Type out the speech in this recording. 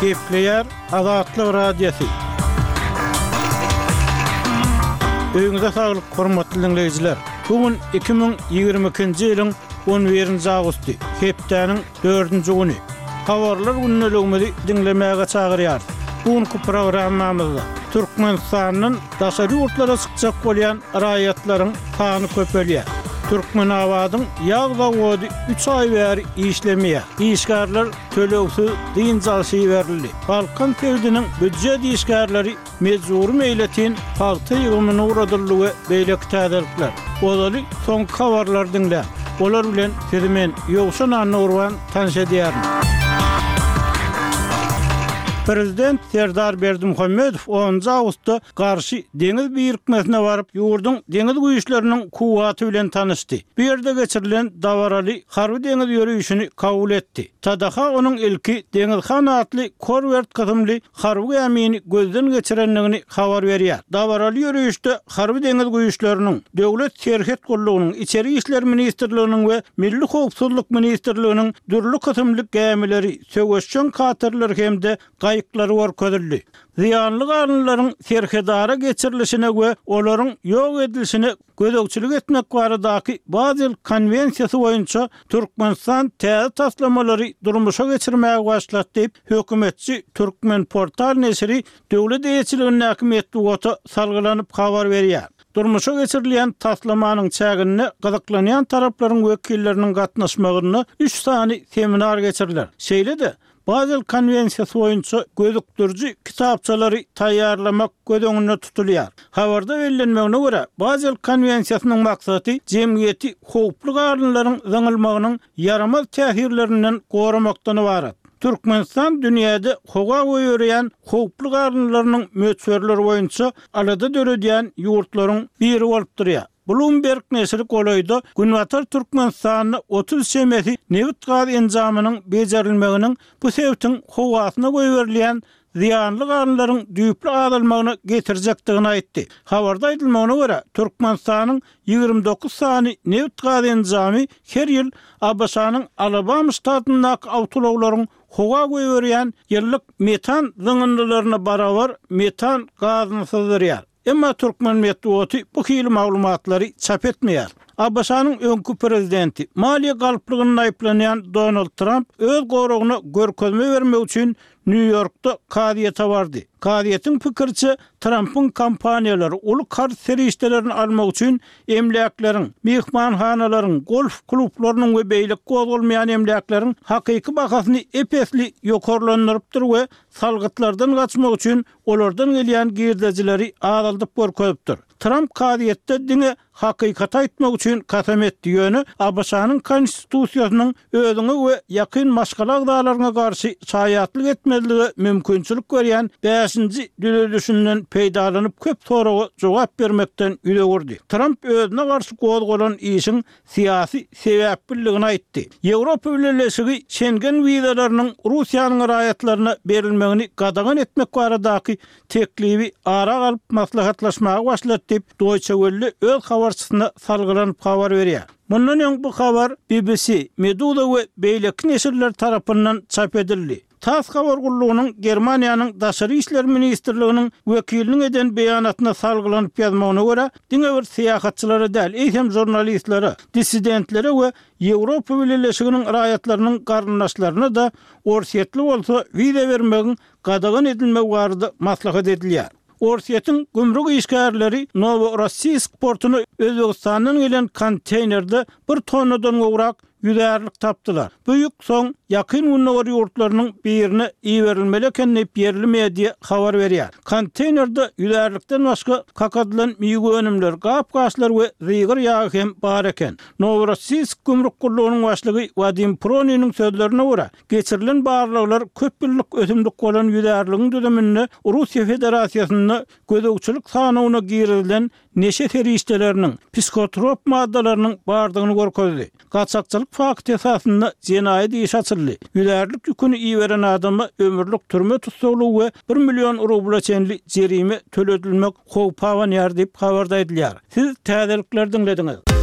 Gepleýär Azatlyk Radiosy. Öýüňize saglyk, hormatly diňleýjiler! Bu gün 2022-nji ýylyň 11-nji awgusty, hepdäniň dördünji güni. Habarlar gündeligimizi diňlemäge çagyrýarys. Bu günki programmamyzda Türkmenistandan daşary ýurtlara çykjak bolýan raýatlaryň sany köpelýär. Türkmenabadyň ýag zawody üç aý bäri işlemeýär. Işgärler tölegsiz dynç alşa iberildi. Balkan sebitiniň býujet işgärleri mejbury meýletin pagta ýygymyna ugradyldy we beýleki täzelikler. Ozaly soňky habarlary diňläň. Olar bilen sizi men, Ýowşan Annagurban tanyş edýärin. Prezident Serdar Berdimuhamedow onunjy awgustda Garşy deňiz birikmesine baryp, ýurduň deňiz güýçleriniň kuwwaty bilen tanyşdy. Bu ýerde geçirilen dabaraly harby-deňiz ýörişini kabul etdi. TDH onuň ilki Deňiz han atly korwert kysymly harby gämini gözden geçirendigini habar berýär. Dabaraly ýörişde Harby-deňiz güýçleriniň, Döwlet serhet gullugynyň, Içeri işler ministrliginiň we Milli howpsuzlyk ministrliginiň dürli kysymly gämileri, söweşjeň katerleri hem-de gaýyklary görkezildi. Zyýanly galyndylaryň serhedara geçirilişine we olaryň ýok edilişine gözegçilik etmek baradaky Bazel konwensiýasy boýunça Türkmenistan täze taslamalary durmuşa geçirmäge başlady diýip, hökümetçi Turkmenportal neşiri döwlet eýeçiligindäki metbugata salgylanyp habar berýär. Durmuşa geçirilýän taslamanyň çäginde gyzyklanýan taraplaryň wekilleriniň gatnaşmagynda üç sany seminar geçiriler. Şeýle-de, Bazel konwensiýasy boýunça gözükdiriji kitapçalary taýýarlamak göz öňünde tutulýar. Habarda bellenmegine görä, Bazel konwensiýasynyň maksady jemgyýeti howply galyndylaryň zyňylmagynyň ýaramaz täsirlerinden goramakdan ybarat. Türkmenistan dünýäde howa goýberýän howply galyndylarynyň möçberleri boýunça alada döredýän ýurtlaryň biri bolup durýar. Bloomberg neşiri golaýda Günbatar Türkmenistanda 30 çemesi nebit-gaz enjamynyň bejerilmeginiň bu sebitiň howasyna goýberilýän zyýanly galyndylaryň düýpli azalmagyna getirjekdigini aýtdy. Habarda aýdylmagyna görä, Türkmenistanyň 29 sany nebit-gaz enjamy her ýyl ABŞ-nyň Alabama ştatyndaky awtoulaglaryň howa goýberýän ýyllyk metan zyňyndylaryna barabar metan gazyny syzdyrýar. Emma türkmen metbugaty bu hili maglumatlary çap etmeýär. ABŞ-nyň öňki prezidenti, maliýe galplygynda aýyplanýan Donald Tramp öz goragyna görkezme bermek üçin Nýu-Ýorkda kazyýete bardy. Kazyýetiň pikiriçe, Trampyň kompaniýalary uly karz serişdelerini almak üçin emläkleriň, myhmanhanalaryň, golf klublarynyň we beýleki gozgalmaýan emläkleriň hakyky bahasyny ep-esli ýokarlandyrypdyr we salgytlardan gaçmak üçin olardan gelýän girdejileri azaldyp görkezipdir. Tramp kazyýetde diňe hakykaty aýtmak üçin kasam etdi, ýöne ABŞ-nyň Konstitusiýasynyň özüňe we ýakyn maşgala agzalaryňa garşy şaýatlyk etmezlige mümkinçilik berýän bäşinji düzedişinden peýdalanyp köp soraga jogap bermekden ýüz öwürdi. Tramp özüne garşy gozgalan işiň syýasy sebäpliligini aýtdy. Ýewropa Bileleşigi Şengen wizalarynyň Russiýanyň raýatlaryna berilmegini gadagan etmek baradaky teklibi ara alyp maslahatlaşmaga başlady diýip, Deutsche Welle öz habarçysyna salgylanyp habar berýär. Mundan öň bu habar BBC, Meduza we beýleki neşirler tarapyndan çap edildi. Tass habar gullugynyň Germaniýanyň Daşary işler ministrliginiň wekiliniň eden beýanatyna salgylanyp ýazmagyna görä, diňe bir syýahatçylara däl, eýsem žurnalistlere, dissidentlere we Ýewropa Bileleşiginiň raýatlarynyň garyndaşlaryna-da orsýetli bolsa wiza bermegiň gadagan edilmegi barada maslahat edilýär. Orsýetiň gümrük işgärleri Noworossiýsk portuna Özbegistandan gelen konteýnerde bir tonnadan gowrak ýüzärlik tapdylar. Bu ýük soň Ýakyn Gündogar ýurtlarynyň birine iberilmeli eken diýip, ýerli media habar berýär. Konteýnerde ýüzärlikden başga kakadylan miwe önümleri, gap-gaçlar we zygyr ýagy hem bar eken. Noworossiýsk gümrük gullugynyň başlygy Wadim Proniniň sözlerine görä, geçirilen barlaglar köp ýyllyk ösümlik bolan ýüzärligiň düzüminde Russiýa Federasiýasynda gözegçilik sanawyna girizilen neşe serişdeleriniň, psihotrop maddalarynyň bardygyny görkezdi. Gaçakçylyk fakty esasynda jenaýat işi açyldy. Ýüzärlik ýüküni iberen adama ömürlik türme tussaglygy we bir million rubla çenli jerime töledilmek howpy abanýar diýip, habarda aýdylýar. Siz täzelikleri diňlediňiz.